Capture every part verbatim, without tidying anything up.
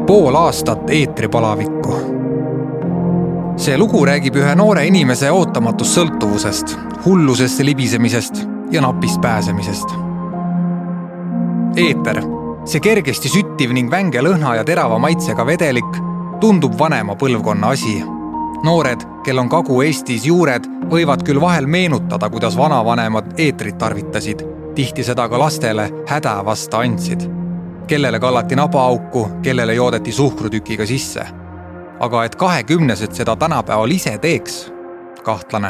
Pool aastat eetripalavikku. See lugu räägib ühe noore inimese ootamatust sõltuvusest, hullusesse libisemisest ja napist pääsemisest. Eeter, see kergesti süttiv ning vänge lõhna ja terava maitsega vedelik, tundub vanema põlvkonna asi. Noored, kel on Kagu-Eestis juured, võivad küll vahel meenutada, kuidas vanavanemad eetrit tarvitasid, tihti seda ka lastele häda vasta andsid. Kellele kallati nabaauku, kellele joodeti suhkrutükiga sisse. Aga et kahekümnesed seda tänapäeval ise teeks, kahtlane.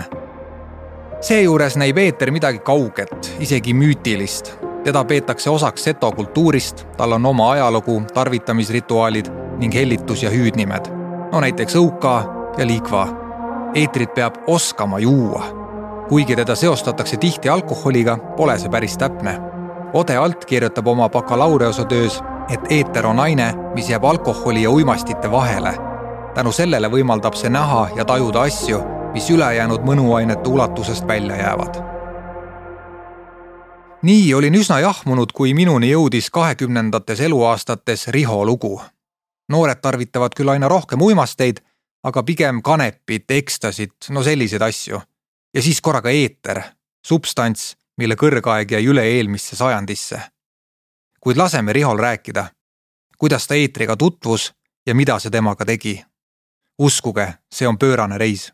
Seejuures näib eeter midagi kauget, isegi müütilist. Teda peetakse osaks seto kultuurist, tal on oma ajalugu, tarvitamisrituaalid ning hellitus- ja hüüdnimed. No näiteks õuka ja liikva. Eetrit peab oskama juua. Kuigi teda seostatakse tihti alkoholiga, pole see päris täpne. Ode Alt kirjutab oma bakalaureosatöös, et eeter on aine, mis jääb alkoholi ja uimastite vahele. Tänu sellele võimaldab see näha ja tajuda asju, mis ülejäänud mõnuainete ulatusest välja jäävad. Nii olin üsna jahmunud, kui minuni jõudis kahekümnendates eluaastates Riho lugu. Noored tarvitavad küll aina rohkem uimasteid, aga pigem kanepit, ekstasit, no selliseid asju. Ja siis korraga eeter, substants, mille kõrgaeg jäi üle eelmisse sajandisse. Kuid laseme Rihol rääkida, kuidas ta eetriga tutvus ja mida see temaga tegi. Uskuge, see on pöörane reis.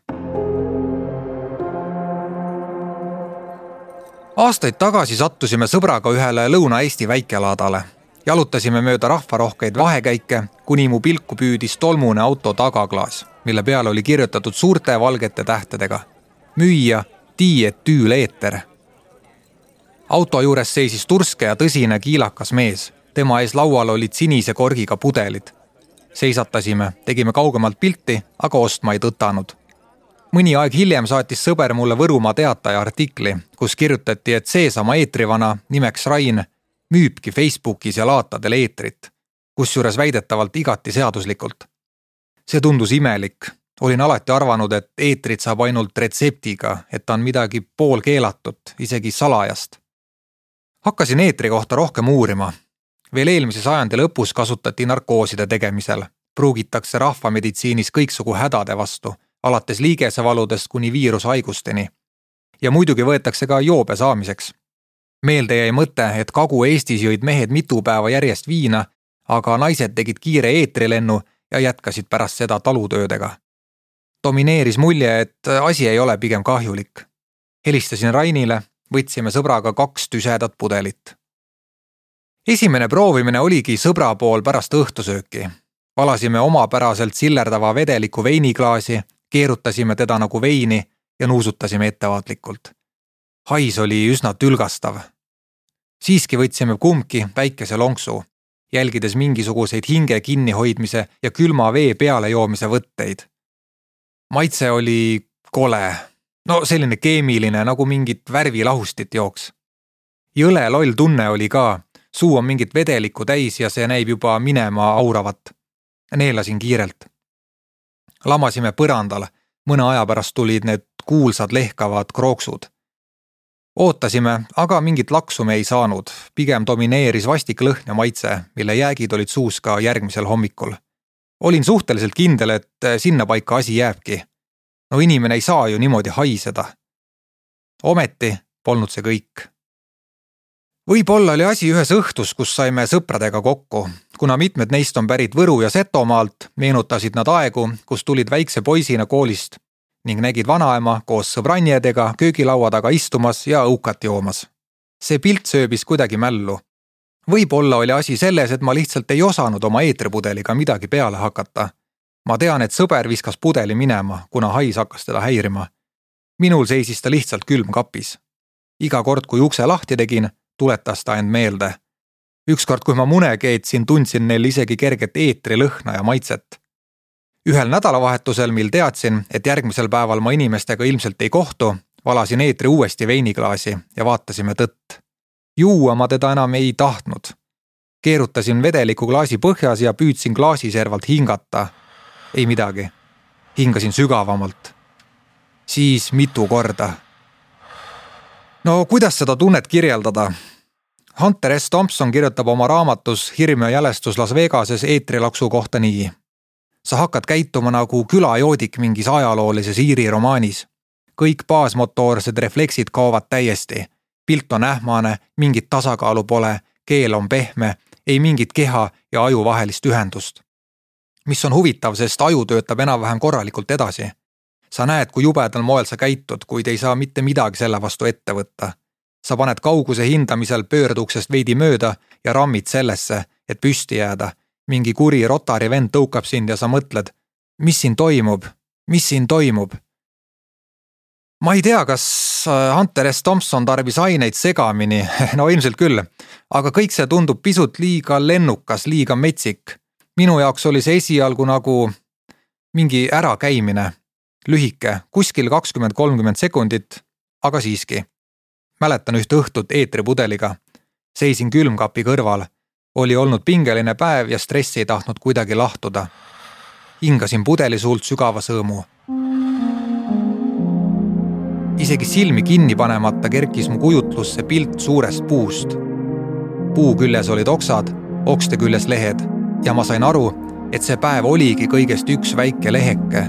Aastaid tagasi sattusime sõbraga ühele Lõuna-Eesti väikelaadale. Jalutasime mööda rahvarohkeid vahekäike, kuni mu pilku püüdis tolmune auto tagaklaas, mille peal oli kirjutatud suurte valgete tähtedega. Müüja, tiiet tüül eeter. Auto juures seisis turske ja tõsine kiilakas mees. Tema ees laual olid sinise korgiga pudelid. Seisatasime, tegime kaugemalt pilti, aga ostma ei tõtanud. Mõni aeg hiljem saatis sõber mulle Võrumaa Teataja artikli, kus kirjutati, et seesama eetrivana nimeks Rain müübki Facebookis ja laatadel eetrit, kusjuures väidetavalt igati seaduslikult. See tundus imelik. Olin alati arvanud, et eetrit saab ainult retseptiga, et ta on midagi pool keelatut, isegi salajast. Hakkasin eetri kohta rohkem uurima. Veel eelmise sajandi lõpus kasutati narkooside tegemisel. Pruugitakse rahvameditsiinis kõiksugu hädade vastu, alates liigesevaludest kuni viirushaigusteni. Ja muidugi võetakse ka joobe saamiseks. Meelde jäi mõte, et Kagu-Eestis jõid mehed mitu päeva järjest viina, aga naised tegid kiire eetrilennu ja jätkasid pärast seda talutöödega. Domineeris mulje, et asi ei ole pigem kahjulik. Helistasin Rainile, võtsime sõbraga kaks tüsedat pudelit. Esimene proovimine oligi sõbra pool pärast õhtusööki. Valasime omapäraselt sillerdava vedeliku veiniklaasi, keerutasime teda nagu veini ja nuusutasime ettevaatlikult. Hais oli üsna tülgastav. Siiski võtsime kumbki väikese lonksu, jälgides mingisuguseid hinge kinnihoidmise ja külma vee peale joomise võtteid. Maitse oli kole, no selline keemiline, nagu mingit värvilahustit jooks. Jõle loll tunne oli ka, suu on mingit vedelikku täis ja see näib juba minema auravat. Neelasin kiirelt. Lamasime põrandal, mõne aja pärast tulid need kuulsad lehkavad krooksud. Ootasime, aga mingit laksu me ei saanud, pigem domineeris vastik lõhn ja maitse, mille jäägid olid suus ka järgmisel hommikul. Olin suhteliselt kindel, et sinna paika asi jääbki. No inimene ei saa ju niimoodi haiseda. Ometi polnud see kõik. Võib-olla oli asi ühes õhtus, kus saime sõpradega kokku. Kuna mitmed neist on pärit Võru ja Setomaalt, meenutasid nad aegu, kus tulid väikse poisina koolist ning nägid vanaema koos sõbranjedega köögilaua taga istumas ja õukat joomas. See pilt sööbis kuidagi mällu. Võib-olla oli asi selles, et ma lihtsalt ei osanud oma eetripudeliga midagi peale hakata. Ma tean, et sõber viskas pudeli minema, kuna hais hakkas teda häirima. Minul seisis ta lihtsalt külm kapis. Iga kord, kui ukse lahti tegin, tuletas ta end meelde. Ükskord, kui ma mune keetsin, tundsin neil isegi kerget eetri lõhna ja maitset. Ühel nädalavahetusel, mil teadsin, et järgmisel päeval ma inimestega ilmselt ei kohtu, valasin eetri uuesti veiniklaasi ja vaatasime tõtt. Juua ma teda enam ei tahtnud. Keerutasin vedeliku klaasi põhjas ja püüdsin klaasiservalt hingata. Ei midagi. Hingasin sügavamalt. Siis mitu korda. No kuidas seda tunnet kirjeldada? Hunter S. Thompson kirjutab oma raamatus Hirm ja jälestus Las Vegases eetrilaksu kohta nii. Sa hakkad käituma nagu külajoodik mingis ajaloolises Iiri romaanis. Kõik baasmotoorsed refleksid kaovad täiesti. Pilt on ähmane, mingit tasakaalu pole, keel on pehme, ei mingit keha ja aju vahelist ühendust. Mis on huvitav, sest aju töötab enam-vähem korralikult edasi. Sa näed, kui jubedal moel sa käitud, kuid ei saa mitte midagi selle vastu ette võtta. Sa paned kauguse hindamisel pöörduksest veidi mööda ja rammid sellesse, et püsti jääda. Mingi kuri rotari vend tõukab sind ja sa mõtled, mis siin toimub, mis siin toimub. Ma ei tea, kas Hunter S. Thompson tarbis aineid segamini, no ilmselt küll, aga kõik see tundub pisut liiga lennukas, liiga metsik. Minu jaoks oli see esialgu nagu mingi ärakäimine, lühike, kuskil kakskümmend kolmkümmend sekundit, aga siiski. Mäletan üht õhtut eetripudeliga. Seisin külmkapi kõrval. Oli olnud pingeline päev ja stressi ei tahtnud kuidagi lahtuda. Hingasin pudeli suult sügava sõõmu. Isegi silmi kinni panemata kerkis mu kujutlusse pilt suurest puust. Puu küljes olid oksad, okste küljes lehed ja ma sain aru, et see päev oligi kõigest üks väike leheke.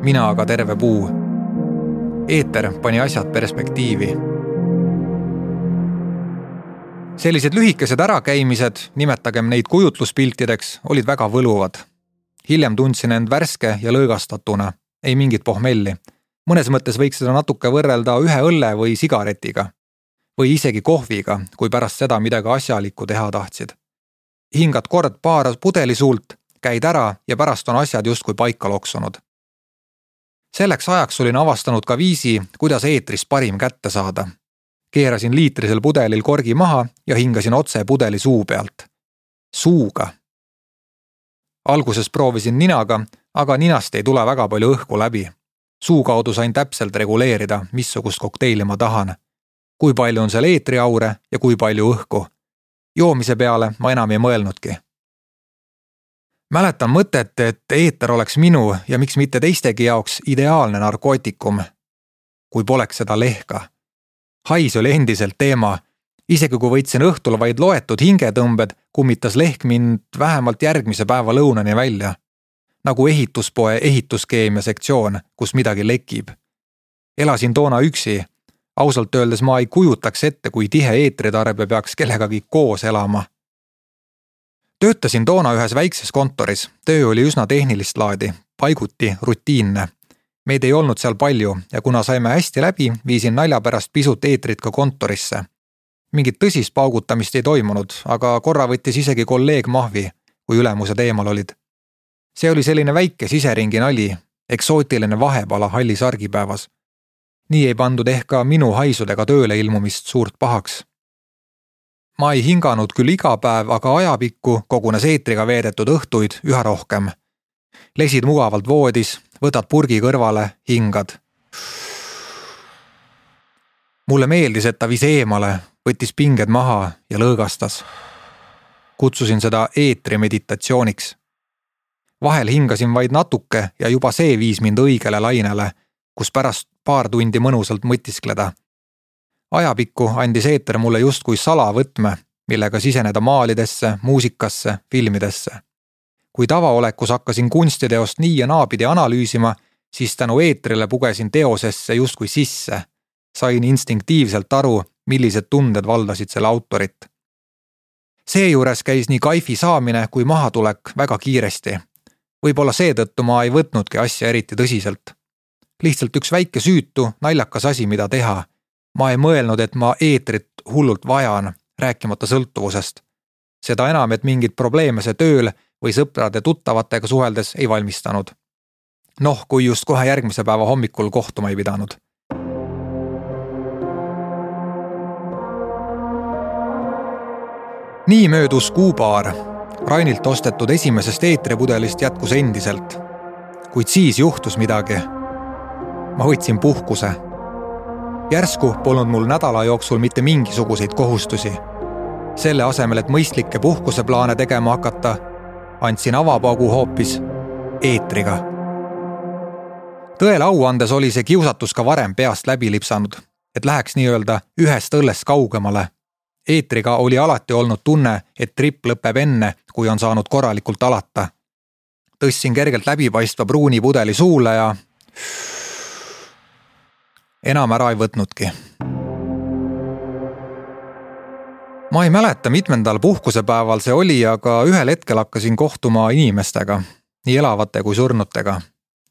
Mina aga terve puu. Eeter pani asjad perspektiivi. Sellised lühikesed ärakäimised, nimetagem neid kujutluspiltideks, olid väga võluvad. Hiljem tundsin end värske ja lõõgastatuna, ei mingit pohmelli. Mõnes mõttes võiks seda natuke võrrelda ühe õlle või sigaretiga. Või isegi kohviga, kui pärast seda midagi asjalikku teha tahtsid. Hingad kord paar pudeli suult, käid ära ja pärast on asjad justkui paika loksunud. Selleks ajaks olin avastanud ka viisi, kuidas eetris parim kätte saada. Keerasin liitrisel pudelil korgi maha ja hingasin otse pudeli suu pealt. Suuga. Alguses proovisin ninaga, aga ninast ei tule väga palju õhku läbi. Suu kaudu sain täpselt reguleerida, missugust kokteili ma tahan. Kui palju on seal eetriaure ja kui palju õhku. Joomise peale ma enam ei mõelnudki. Mäletan mõtet, et eeter oleks minu ja miks mitte teistegi jaoks ideaalne narkootikum, kui poleks seda lehka. Hais oli endiselt teema. Isegi kui võitsin õhtul vaid loetud hingetõmbed, kummitas lehk mind vähemalt järgmise päeva lõunani välja. Nagu ehituspoe ehituskeemia sektsioon, kus midagi lekib. Elasin toona üksi. Ausalt öeldes ma ei kujutaks ette, kui tihe eetritarbe peaks kellegagi koos elama. Töötasin toona ühes väikses kontoris. Töö oli üsna tehnilist laadi, paiguti rutiinne. Meid ei olnud seal palju ja kuna saime hästi läbi, viisin nalja pärast pisut eetrit ka kontorisse. Mingit tõsist paugutamist ei toimunud, aga korra võttis isegi kolleeg mahvi, kui ülemuse teemal olid. See oli selline väike siseringi nali, eksootiline vahepala hallis argipäevas. Nii ei pandud ehk ka minu haisudega tööle ilmumist suurt pahaks. Ma ei hinganud küll iga päev, aga ajapikku kogunes eetriga veedetud õhtuid üha rohkem. Lesid mugavalt voodis, võtad purgi kõrvale, hingad. Mulle meeldis, et ta vis eemale, võttis pinged maha ja lõõgastas. Kutsusin seda eetri meditatsiooniks. Vahel hingasin vaid natuke ja juba see viis mind õigele lainele, kus pärast paar tundi mõnusalt mõtiskleda. Ajapikku andis eeter mulle justkui salavõtme, millega siseneda maalidesse, muusikasse, filmidesse. Kui tavaolekus hakkasin kunstiteost nii ja naapidi analüüsima, siis tänu eetrile pugesin teosesse justkui sisse. Sain instinktiivselt aru, millised tunded valdasid selle autorit. Seejuures käis nii kaifi saamine kui mahatulek väga kiiresti. Võib-olla seetõttu ma ei võtnudki asja eriti tõsiselt. Lihtsalt üks väike süütu, naljakas asi, mida teha. Ma ei mõelnud, et ma eetrit hullult vajan, rääkimata sõltuvusest. Seda enam, et mingid probleeme see tööl või sõprade tuttavatega suheldes ei valmistanud. Noh, kui just kohe järgmise päeva hommikul kohtuma ei pidanud. Nii möödus kuupaar. Rainilt ostetud esimesest eetripudelist jätkus endiselt. Kuid siis juhtus midagi. Ma võtsin puhkuse. Järsku polnud mul nädala jooksul mitte mingisuguseid kohustusi. Selle asemel, et mõistlikke puhkuseplaane tegema hakata, andsin avapaugu hoopis eetriga. Tõele au andes oli see kiusatus ka varem peast läbi lipsanud, et läheks nii-öelda ühest õllest kaugemale. Eetriga oli alati olnud tunne, et trip lõpeb enne, kui on saanud korralikult alata. Tõstsin kergelt läbipaistva pruuni pudeli suule ja enam ära ei võtnudki. Ma ei mäleta, mitmendal puhkusepäeval see oli, aga ühel hetkel hakkasin kohtuma inimestega, nii elavate kui surnutega.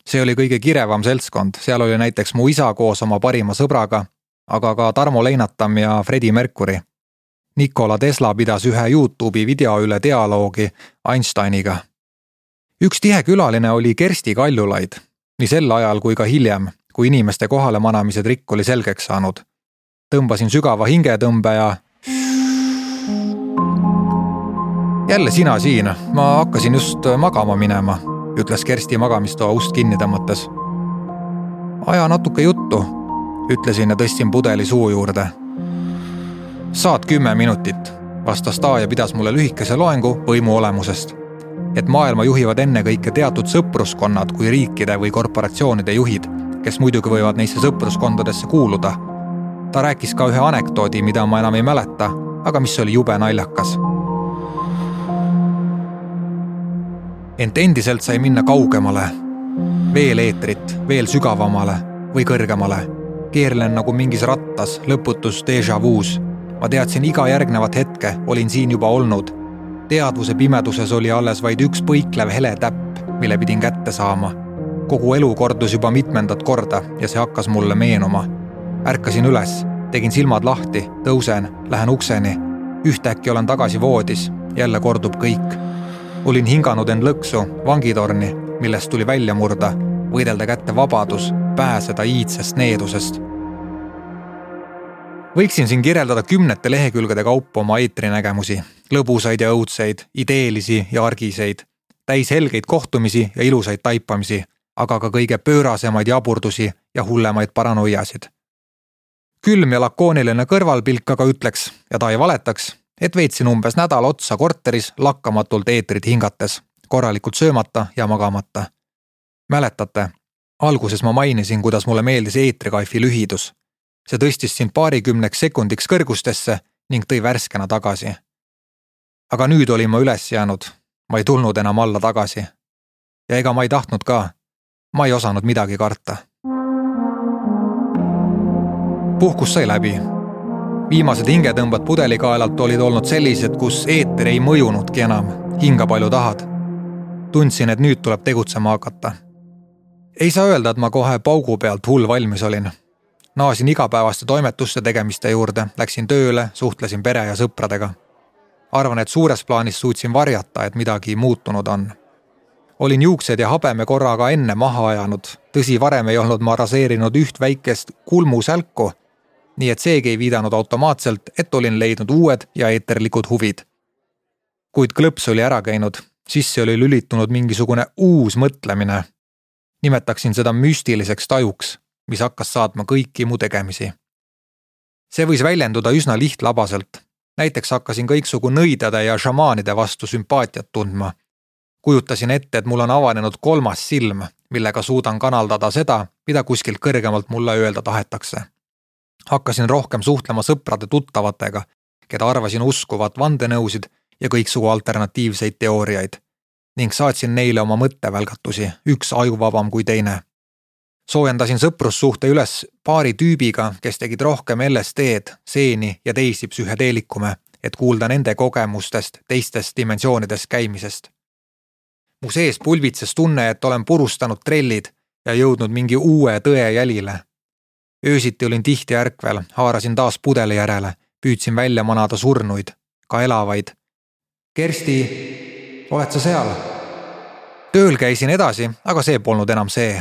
See oli kõige kirevam seltskond, seal oli näiteks mu isa koos oma parima sõbraga, aga ka Tarmo Leinatam ja Freddie Mercury. Nikola Tesla pidas ühe YouTube'i video üle dialoogi Einsteiniga. Üks tihe külaline oli Kersti Kaljulaid, nii sel ajal kui ka hiljem, kui inimeste kohale manamise trikk oli selgeks saanud. Tõmbasin sügava hingetõmbe ja jälle sina siin, ma hakkasin just magama minema, ütles Kersti magamistoa ust kinni tõmmates. Aja natuke juttu, ütlesin ja tõstsin pudeli suu juurde. Saad kümme minutit, vastas ta ja pidas mulle lühikese loengu võimu olemusest. Et maailma juhivad enne kõike teatud sõpruskonnad kui riikide või korporatsioonide juhid, kes muidugi võivad neisse sõpruskondadesse kuuluda. Ta rääkis ka ühe anekdoodi, mida ma enam ei mäleta, aga mis oli jube naljakas. Ent endiselt sai minna kaugemale, veel eetrit, veel sügavamale või kõrgemale. Keerlen nagu mingis rattas, lõputus déjà vu's. Ma teadsin iga järgnevat hetke, olin siin juba olnud. Teadvuse pimeduses oli alles vaid üks põiklev hele täpp, mille pidin kätte saama. Kogu elu kordus juba mitmendat korda ja see hakkas mulle meenuma. Ärkasin üles, tegin silmad lahti, tõusen, lähen ukseni. Ühtäkki olen tagasi voodis, jälle kordub kõik. Olin hinganud end lõksu, vangitorni, millest tuli välja murda, võidelda kätte vabadus, pääseda iidsest needusest. Võiksin siin kirjeldada kümnete lehekülgede kaupa oma eetrinägemusi, lõbusaid ja õudseid, ideelisi ja argiseid, täis helgeid kohtumisi ja ilusaid taipamisi, aga ka kõige pöörasemaid jaburdusi ja hullemaid paranoiasid. Külm ja lakooniline kõrvalpilk aga ütleks, ja ta ei valetaks, et veetsin umbes nädal otsa korteris lakkamatult eetrit hingates, korralikult söömata ja magamata. Mäletate, alguses ma mainisin, kuidas mulle meeldis eetrikaifi lühidus. See tõstis sind paarikümneks sekundiks kõrgustesse ning tõi värskena tagasi. Aga nüüd olin ma üles jäänud, ma ei tulnud enam alla tagasi. Ja ega ma ei tahtnud ka, ma ei osanud midagi karta. Puhkus sai läbi. Viimased hingetõmbad pudelikaelalt olid olnud sellised, kus eeter ei mõjunudki enam, hinga palju tahad. Tundsin, et nüüd tuleb tegutsema hakata. Ei saa öelda, et ma kohe paugu pealt hull valmis olin. Naasin igapäevaste toimetuste tegemiste juurde, läksin tööle, suhtlesin pere ja sõpradega. Arvan, et suures plaanis suutsin varjata, et midagi muutunud on. Olin juuksed ja habeme korraga enne maha ajanud, tõsi varem ei olnud ma raseerinud üht väikest kulmusälku, nii et seegi ei viidanud automaatselt, et olin leidnud uued ja eeterlikud huvid. Kuid klõps oli ära käinud, sisse oli lülitunud mingisugune uus mõtlemine. Nimetaksin seda müstiliseks tajuks, mis hakkas saatma kõiki mu tegemisi. See võis väljenduda üsna lihtlabaselt. Näiteks hakkasin kõiksugu nõidade ja šamaanide vastu sümpaatiat tundma. Kujutasin ette, et mul on avanenud kolmas silm, millega suudan kanaldada seda, mida kuskilt kõrgemalt mulle öelda tahetakse. Hakkasin rohkem suhtlema sõprade tuttavatega, keda arvasin uskuvat vandenõusid ja kõiksugu alternatiivseid teooriaid, ning saatsin neile oma mõttevälgatusi, üks ajuvabam kui teine. Soojendasin sõprussuhte üles paari tüübiga, kes tegid rohkem L S D-d, seeni ja teisi psühhedeelikume, et kuulda nende kogemustest teistest dimensioonidest käimisest. Mu sees pulvitses tunne, et olen purustanud trellid ja jõudnud mingi uue tõe jälile. Öösiti olin tihti ärkvel, haarasin taas pudeli järele, püüdsin välja manada surnuid, ka elavaid. Kersti, oled sa seal? Tööl käisin edasi, aga see polnud enam see.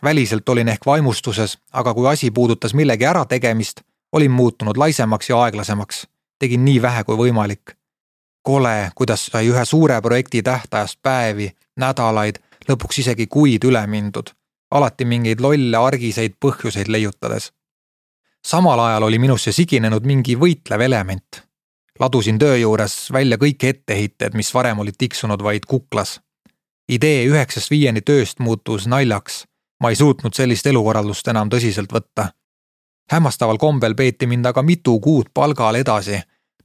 Väliselt olin ehk vaimustuses, aga kui asi puudutas millegi ära tegemist, olin muutunud laisemaks ja aeglasemaks. Tegin nii vähe kui võimalik. Kole, kuidas sai ühe suure projekti tähtajast päevi, nädalaid, lõpuks isegi kuid üle mindud. Alati mingeid lolle argiseid põhjuseid leiutades. Samal ajal oli minusse siginenud mingi võitlev element. Ladusin töö juures välja kõik etteheited, mis varem olid tiksunud vaid kuklas. Idee üheksast viieni tööst muutus naljaks. Ma ei suutnud sellist elukorraldust enam tõsiselt võtta. Hämmastaval kombel peeti mind aga mitu kuud palgal edasi.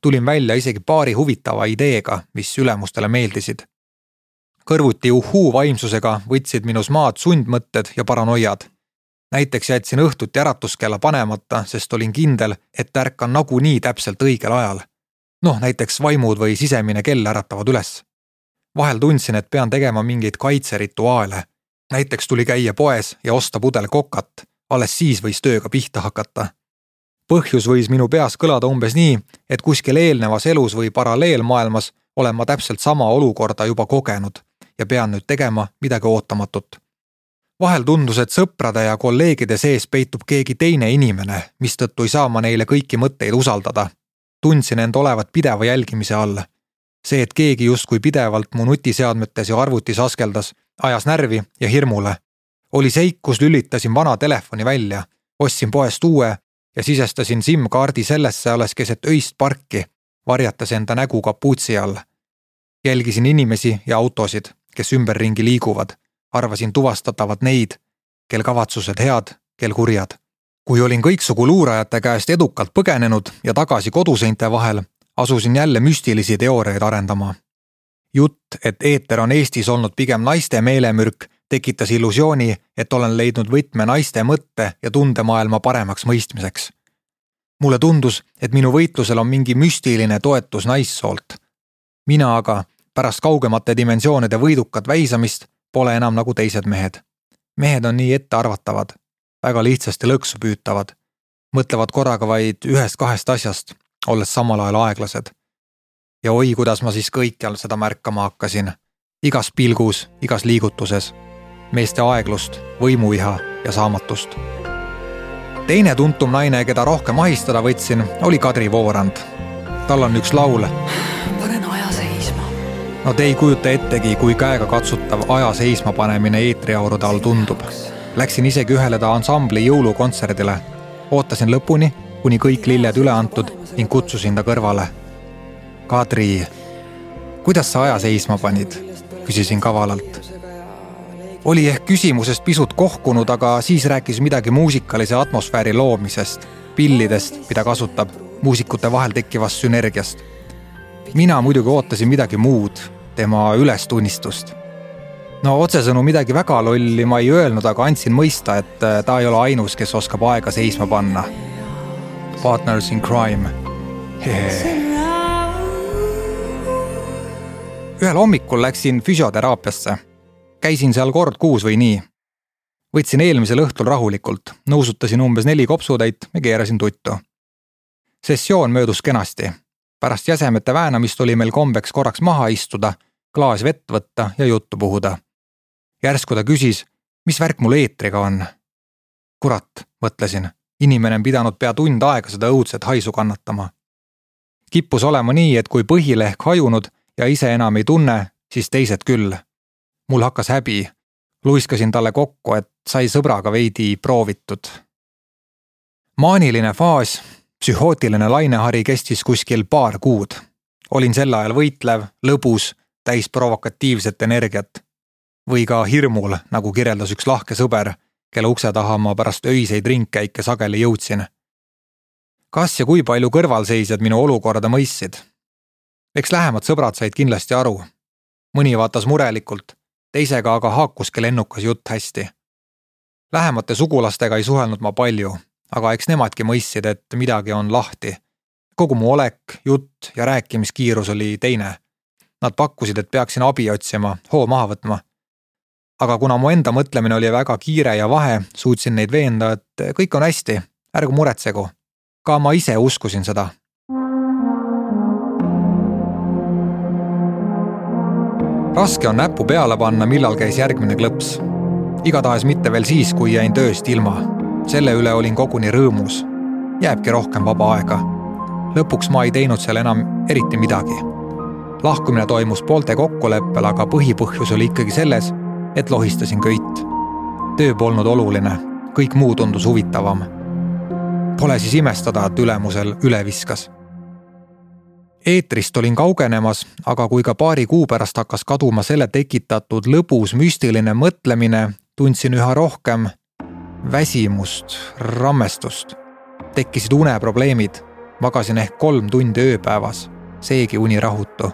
tulin välja isegi paari huvitava ideega, mis ülemustele meeldisid. Kõrvuti uhuu vaimsusega võtsid minus maad sundmõtted ja paranoiad. Näiteks jätsin õhtuti äratuskella panemata, sest olin kindel, et ärkan nagunii täpselt õigel ajal. Noh, näiteks vaimud või sisemine kell äratavad üles. Vahel tundsin, et pean tegema mingeid kaitserituaale. Näiteks tuli käia poes ja osta pudel kokat, alles siis võis tööga pihta hakata. Põhjus võis minu peas kõlada umbes nii, et kuskil eelnevas elus või paralleelmaailmas olen ma täpselt sama olukorda juba kogenud ja pean nüüd tegema midagi ootamatut. Vahel tundus, et sõprade ja kolleegide sees peitub keegi teine inimene, mistõttu ei saa ma neile kõiki mõtteid usaldada. Tundsin end olevat pideva jälgimise all. See, et keegi justkui pidevalt mu nutiseadmetes ja arvutis askeldas, ajas närvi ja hirmule. Oli seik, kus lülitasin vana telefoni välja, ostsin poest uue ja sisestasin SIM-kaardi sellesse alles keset öist parki, varjatas enda nägu kapuutsi all. Jälgisin inimesi ja autosid, kes ümberringi liiguvad. Arvasin tuvastatavat neid, kel kavatsused head, kel kurjad. Kui olin kõiksugu luurajate käest edukalt põgenenud ja tagasi koduseinte vahel, asusin jälle müstilisi teooriaid arendama. Jutt, et eeter on Eestis olnud pigem naiste meelemürk, tekitas illusiooni, et olen leidnud võtme naiste mõtte ja tundemaailma paremaks mõistmiseks. Mulle tundus, et minu võitlusel on mingi müstiline toetus naissoolt. Mina aga, pärast kaugemate dimensioonide võidukat väisamist, pole enam nagu teised mehed. Mehed on nii ettearvatavad, väga lihtsasti lõksu püütavad, mõtlevad korraga vaid ühest kahest asjast, olles samal ajal aeglased. Ja oi, kuidas ma siis kõikjal seda märkama hakkasin. Igas pilgus, igas liigutuses. Meeste aeglust, võimuiha ja saamatust. Teine tuntum naine, keda rohkem ahistada võtsin, oli Kadri Voorand. Tal on üks laul. Panen aja seisma. No te ei kujuta ettegi, kui käega katsutav aja seisma panemine eetriaurude all tundub. Läksin isegi ühele ta ansambli jõulukontserdile. Ootasin lõpuni, kuni kõik lilled üle antud ning kutsusin ta kõrvale. Kadri, kuidas sa aja seisma panid? Küsisin kavalalt. Oli ehk küsimusest pisut kohkunud, aga siis rääkis midagi muusikalise atmosfääri loomisest, pillidest, mida kasutab, muusikute vahel tekkivast sünergiast. Mina muidugi ootasin midagi muud, tema ülestunnistust. No otsesõnu midagi väga lolli ma ei öelnud, aga andsin mõista, et ta ei ole ainus, kes oskab aega seisma panna. Partners in crime. Hehe. Ühel hommikul läksin füsioteraapiasse. Käisin seal kord kuus või nii. Võtsin eelmisel õhtul rahulikult, nõusutasin umbes neli kopsutäit ja keerasin tuttu. Sessioon möödus kenasti. Pärast jäsemete väänamist oli meil kombeks korraks maha istuda, klaas vett võtta ja juttu puhuda. Järsku ta küsis, mis värk mul eetriga on. Kurat, mõtlesin, inimene on pidanud pea tund aega seda õudset haisu kannatama. Kippus olema nii, et kui põhile ehk hajunud ja ise enam ei tunne, siis teised küll. Mul hakkas häbi. Luiskasin talle kokku, et sai sõbraga veidi proovitud. Maaniline faas, psühhootiline lainehari kestis kuskil paar kuud. Olin sel ajal võitlev, lõbus, täis provokatiivset energiat. Või ka hirmul, nagu kirjeldas üks lahke sõber, kelle ukse taha ma pärast öiseid ringkäike sageli jõudsin. Kas ja kui palju kõrvalseisjad minu olukorda mõistsid? Eks lähemad sõbrad said kindlasti aru. Mõni vaatas murelikult, teisega aga haakuski lennukas jutt hästi. Lähemate sugulastega ei suhelnud ma palju, aga eks nemadki mõistsid, et midagi on lahti. Kogu mu olek, jutt ja rääkimiskiirus oli teine. Nad pakkusid, et peaksin abi otsima, hoo maha võtma. Aga kuna mu enda mõtlemine oli väga kiire ja vahe, suutsin neid veenda, et kõik on hästi, ärgu muretsegu. Ka ma ise uskusin seda. Raske on näppu peale panna, millal käis järgmine klõps. Igatahes mitte veel siis, kui jäin tööst ilma. Selle üle olin koguni rõõmus. Jääbki rohkem vaba aega. Lõpuks ma ei teinud seal enam eriti midagi. Lahkumine toimus poolte kokkuleppel, aga põhipõhjus oli ikkagi selles, et lohistasin köit. Töö polnud oluline, kõik muu tundus huvitavam. Pole siis imestada, et ülemusel üle viskas. Eetrist olin kaugenemas, aga kui ka paari kuu pärast hakkas kaduma selle tekitatud lõbus müstiline mõtlemine, tundsin üha rohkem väsimust, rammestust. Tekkisid uneprobleemid, Magasin ehk kolm tundi ööpäevas, seegi uni rahutu.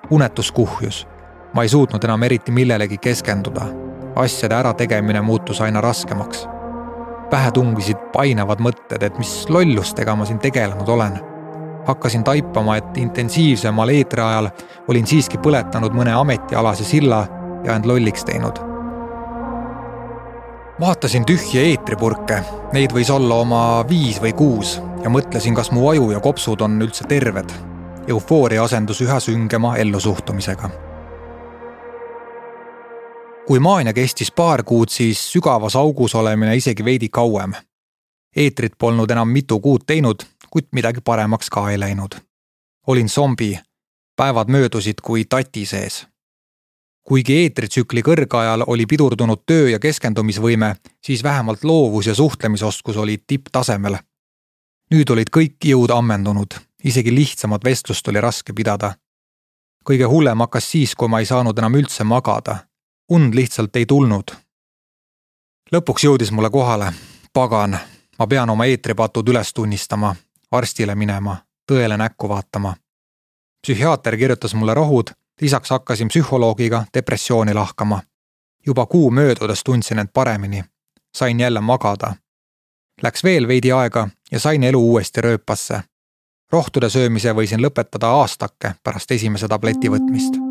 Unetus kuhjus. Ma ei suutnud enam eriti millelegi keskenduda. Asjade ärategemine muutus aina raskemaks. Pähe tungisid painavad mõtted, et mis lollustega ma siin tegelenud olen. Hakkasin taipama, et intensiivsemal eetri ajal olin siiski põletanud mõne ametialase silla ja end lolliks teinud. Vaatasin tühje eetripurke, neid võis olla oma viis või kuus ja mõtlesin, kas mu aju ja kopsud on üldse terved. Eufooria asendus üha süngema ellusuhtumisega. Kui maania kestis paar kuud, siis sügavas augus olemine isegi veidi kauem. Eetrit polnud enam mitu kuud teinud, kuid midagi paremaks ka ei läinud. Olin zombi, päevad möödusid kui tati sees. Kuigi eetritsükli kõrgajal oli pidurdunud töö ja keskendumisvõime, siis vähemalt loovus ja suhtlemisoskus oli tipptasemel. Nüüd olid kõik jõud ammendunud, isegi lihtsamat vestlust oli raske pidada. Kõige hullem hakkas siis, kui ma ei saanud enam üldse magada. Und lihtsalt ei tulnud. Lõpuks jõudis mulle kohale. Pagan, ma pean oma eetripatud üles tunnistama, arstile minema, tõele näkku vaatama. Psühhiaater kirjutas mulle rohud, lisaks hakkasin psühholoogiga depressiooni lahkama. Juba kuu möödudes tundsin end paremini. Sain jälle magada. Läks veel veidi aega ja sain elu uuesti rööpasse. Rohtude söömise võisin lõpetada aastake pärast esimese tableti võtmist.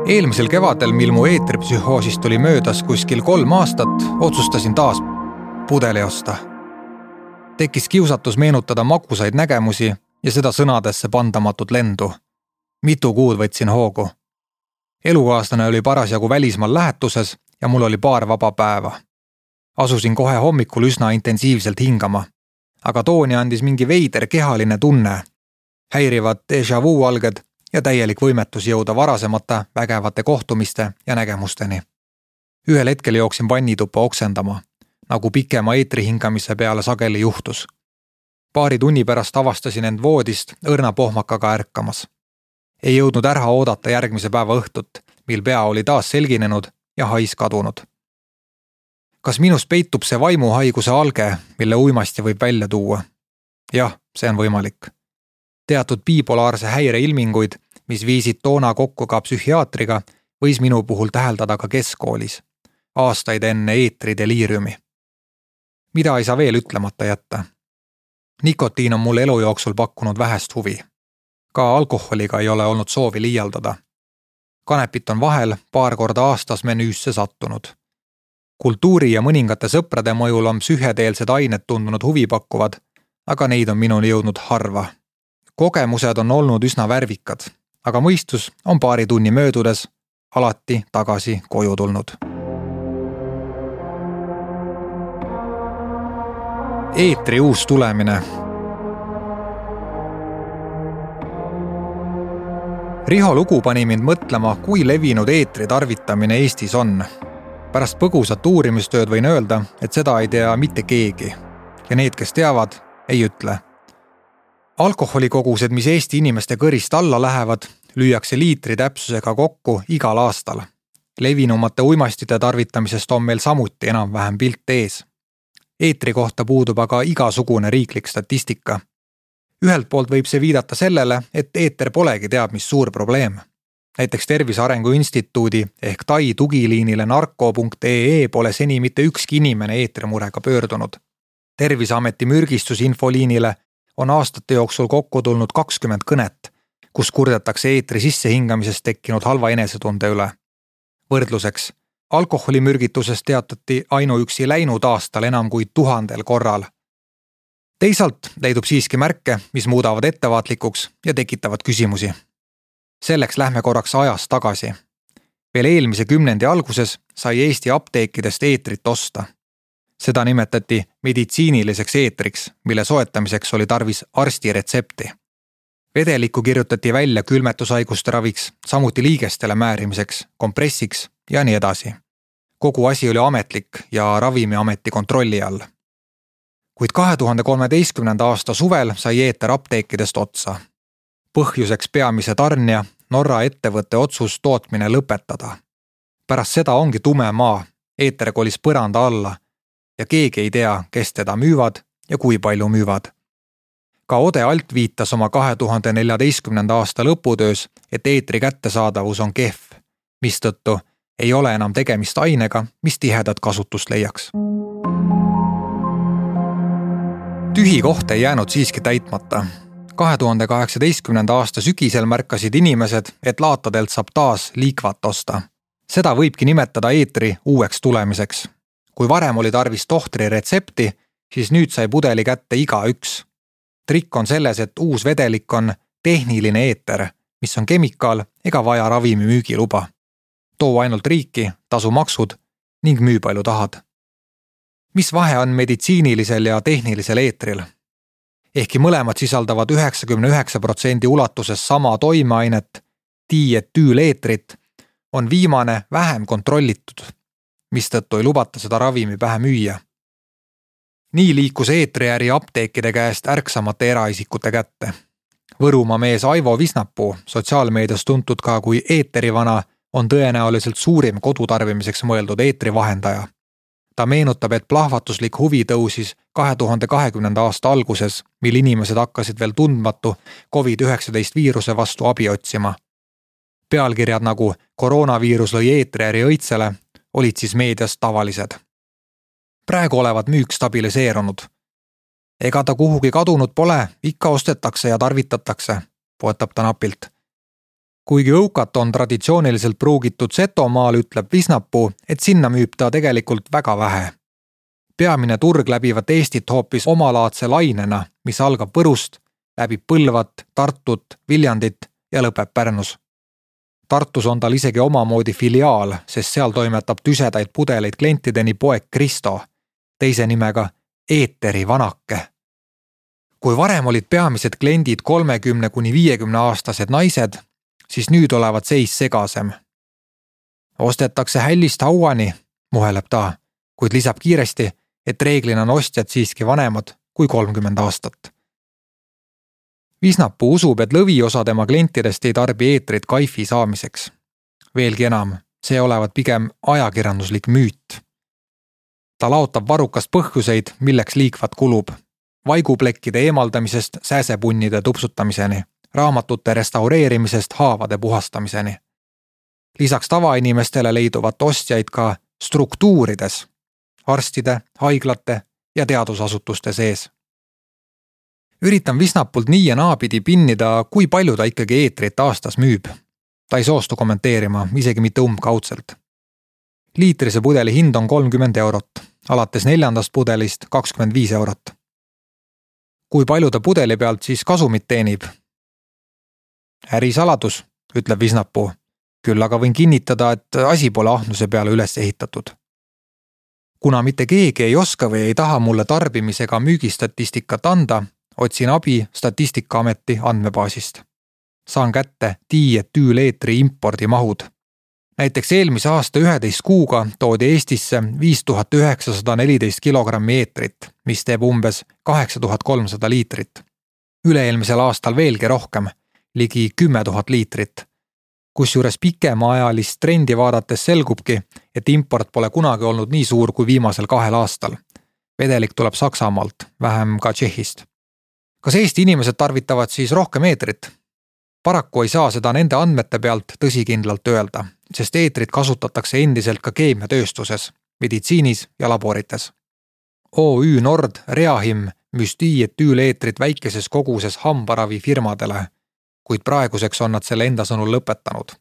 Eelmisel kevadel, mil mu eetripsühhoosist oli möödas kuskil kolm aastat, otsustasin taas pudeli osta. Tekkis kiusatus meenutada magusaid nägemusi ja seda sõnadesse pandamatut lendu. Mitu kuud võtsin hoogu. Elukaaslane oli parasjagu välismaal lähetuses ja mul oli paar vaba päeva. Asusin kohe hommikul üsna intensiivselt hingama, aga tooni andis mingi veider kehaline tunne, häirivad déjà vu alged ja täielik võimetus jõuda varasemata vägevate kohtumiste ja nägemusteni. Ühel hetkel jooksin vannituppa oksendama, nagu pikema eetri hingamise peale sageli juhtus. Paari tunni pärast avastasin end voodist õrna pohmakaga ärkamas. Ei jõudnud ära oodata järgmise päeva õhtut, mil pea oli taas selginenud ja hais kadunud. Kas minus peitub see vaimuhaiguse alge, mille uimasti võib välja tuua? Jah, see on võimalik. Teatud bipolaarse häire ilminguid, mis viisid toona kokku ka psühhiaatriga, võis minu puhul täheldada ka keskkoolis, aastaid enne eetrideliiriumi. Mida ei saa veel ütlemata jätta? Nikotiin on mulle elu jooksul pakkunud vähest huvi. Ka alkoholiga ei ole olnud soovi liialdada. Kanepit on vahel paar korda aastas menüüsse sattunud. Kultuuri ja mõningate sõprade mõjul on psühhedeelsed ained tundunud huvipakkuvad, aga neid on minuni jõudnud harva. Kogemused on olnud üsna värvikad, aga mõistus on paari tunni möödudes alati tagasi koju tulnud. Eetri uus tulemine. Riho lugu pani mind mõtlema, kui levinud eetri tarvitamine Eestis on. Pärast põgusat uurimistööd võin öelda, et seda ei tea mitte keegi ja need, kes teavad, ei ütle. Alkoholikogused, mis Eesti inimeste kõrist alla lähevad, lüüakse liitri täpsusega kokku igal aastal. Levinumate uimastite tarvitamisest on meil samuti enam-vähem pilt ees. Eetri kohta puudub aga igasugune riiklik statistika. Ühelt poolt võib see viidata sellele, et eeter polegi teab mis suur probleem. Näiteks Tervise Arengu Instituudi ehk Tai tugiliinile narko punkt ee ee pole seni mitte ükski inimene eetrimurega pöördunud. Terviseameti mürgistusinfoliinile on aastate jooksul kokku tulnud kakskümmend kõnet, kus kurdetakse eetri sissehingamisest tekkinud halva enesetunde üle. Võrdluseks, alkoholimürgitusest teatati ainuüksi läinud aastal enam kui tuhandel korral. Teisalt leidub siiski märke, mis muudavad ettevaatlikuks ja tekitavad küsimusi. Selleks lähme korraks ajas tagasi. Veel eelmise kümnendi alguses sai Eesti apteekidest eetrit osta. Seda nimetati meditsiiniliseks eetriks, mille soetamiseks oli tarvis arsti retsepti. Vedelikku kirjutati välja külmetushaiguste raviks, samuti liigestele määrimiseks, kompressiks ja nii edasi. Kogu asi oli ametlik ja Ravimiameti kontrolli all. Kuid kahe tuhande kolmeteistkümnenda aasta suvel sai eeter apteekidest otsa. Põhjuseks peamise tarnija, Norra ettevõtte otsus tootmine lõpetada. Pärast seda ongi tume maa Eeter kolis põranda alla ja keegi ei tea, kes teda müüvad ja kui palju müüvad. Ka Ode Alt viitas oma kahe tuhande neljateistkümnenda aasta lõputöös, et eetri kättesaadavus on kehv, mistõttu ei ole enam tegemist ainega, mis tihedat kasutust leiaks. Tühi koht ei jäänud siiski täitmata. kahe tuhande kaheksateistkümnenda aasta sügisel märkasid inimesed, et laatadelt saab taas liikvat osta. Seda võibki nimetada eetri uueks tulemiseks. Kui varem oli tarvis tohtri retsepti, siis nüüd sai pudeli kätte igaüks. Trikk on selles, et uus vedelik on tehniline eeter, mis on kemikaal ega vaja ravimi müügiluba. Too ainult riiki, tasu maksud ning müü palju tahad. Mis vahe on meditsiinilisel ja tehnilisel eetril? Ehkki mõlemad sisaldavad üheksakümne üheksa protsendi ulatuses sama toimeainet, dietüüleetrit, on viimane vähem kontrollitud, mistõttu ei lubata seda ravimi pähe müüa. Nii liikus eetriäri apteekide käest ärksamate eraisikute kätte. Võrumaa mees Aivo Visnapuu, sotsiaalmeedias tuntud ka kui eeterivana, on tõenäoliselt suurim kodutarbimiseks mõeldud eetrivahendaja. Ta meenutab, et plahvatuslik huvi tõusis kahe tuhande kahekümnenda aasta alguses, mil inimesed hakkasid veel tundmatu covid üheksateist viiruse vastu abi otsima. Pealkirjad nagu koroonaviirus lõi eetriäri õitsele olid siis meedias tavalised. Praegu olevat müük stabiliseerunud. Ega ta kuhugi kadunud pole, ikka ostetakse ja tarvitatakse, poetab ta napilt. Kuigi õukat on traditsiooniliselt pruugitud Setomaal, ütleb Visnapuu, et sinna müüb ta tegelikult väga vähe. Peamine turg läbivat Eestit hoopis omalaadse lainena, mis algab Võrust, läbib Põlvat, Tartut, Viljandit ja lõpeb Pärnus. Tartus on tal isegi omamoodi filiaal, sest seal toimetab tüsedaid pudeleid klientideni poeg Kristo, teise nimega Eeteri vanake. Kui varem olid peamised kliendid kolmekümne kuni viiekümne aastased naised, siis nüüd olevat seis segasem. Ostetakse hällist hauani, muheleb ta, kuid lisab kiiresti, et reeglina on ostjad siiski vanemad kui kolmkümmend aastat. Visnapuu usub, et lõviosa tema klientidest ei tarbi eetrit kaifi saamiseks. Veelgi enam, see olevat pigem ajakirjanduslik müüt. Ta laotab varukast põhjuseid, milleks liikvat kulub. Vaiguplekkide eemaldamisest sääsepunnide tupsutamiseni, raamatute restaureerimisest haavade puhastamiseni. Lisaks tavainimestele leiduvat ostjaid ka struktuurides, arstide, haiglate ja teadusasutuste sees. Üritan Visnapult nii ja naapidi pinnida, kui palju ta ikkagi eetrit aastas müüb. Ta ei soostu kommenteerima, isegi mitte umbkaudselt. Liitrise pudeli hind on kolmkümmend eurot, alates neljandast pudelist kakskümmend viis eurot. Kui palju ta pudeli pealt siis kasumit teenib? Ärisaladus, ütleb Visnapuu. Küll aga võin kinnitada, et asi pole ahnuse peale üles ehitatud. Kuna mitte keegi ei oska või ei taha mulle tarbimisega müügistatistikat anda, otsin abi Statistikaameti andmebaasist. Saan kätte dietüüleetri impordimahud. Näiteks eelmise aasta üheteist kuuga toodi Eestisse viis tuhat üheksasada neliteist kilogrammi eetrit, mis teeb umbes kaheksa tuhat kolmsada liitrit. Üle-eelmisel aastal veelgi rohkem, ligi kümme tuhat liitrit. Kusjuures pikemaajalist trendi vaadates selgubki, et import pole kunagi olnud nii suur kui viimasel kahel aastal. Vedelik tuleb Saksamaalt, vähem ka Tšehhist. Kas Eesti inimesed tarvitavad siis rohkem eetrit? Paraku ei saa seda nende andmete pealt tõsikindlalt öelda, sest eetrit kasutatakse endiselt ka keemiatööstuses, meditsiinis ja laborites. O Ü Nord Reahim müüs dietüüleetrit väikeses koguses hambaravi firmadele, kuid praeguseks on nad selle enda sõnul lõpetanud.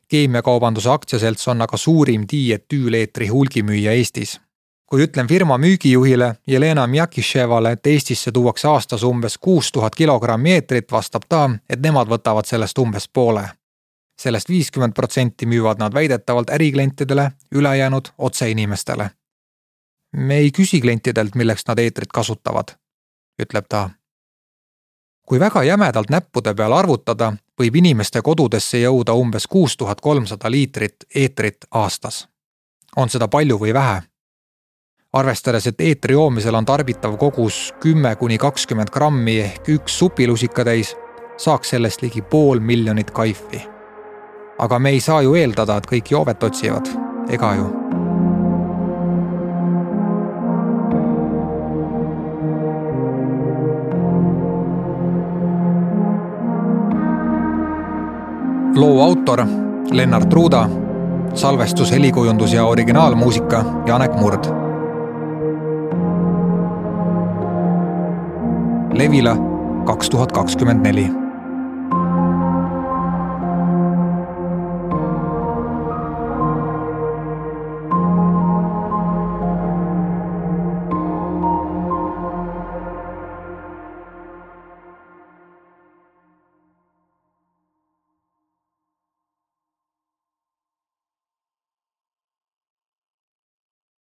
Keemiakaubanduse aktsiaselts on aga suurim dietüüleetri hulgimüüja Eestis. Kui ütlen firma müügijuhile Jelena Mjakishevale, et Eestisse tuuakse aastas umbes kuus tuhat kilogrammi eetrit, vastab ta, et nemad võtavad sellest umbes poole. Sellest viiskümmend protsenti müüvad nad väidetavalt äriklientidele, ülejäänud otse inimestele. Me ei küsi klientidelt, milleks nad eetrit kasutavad, ütleb ta. Kui väga jämedalt näppude peal arvutada, võib inimeste kodudesse jõuda umbes kuus tuhat kolmsada liitrit eetrit aastas. On seda palju või vähe? Arvestades, et eetri joomisel on tarbitav kogus kümme kuni kakskümmend grammi ehk üks supilusikatäis, saaks sellest ligi pool miljonit kaifi. Aga me ei saa ju eeldada, et kõik joovet otsivad, ega ju. loo autor Lennart Ruuda, salvestus, helikujundus ja originaalmuusika Janek Murd. Levila kaks tuhat kakskümmend neli.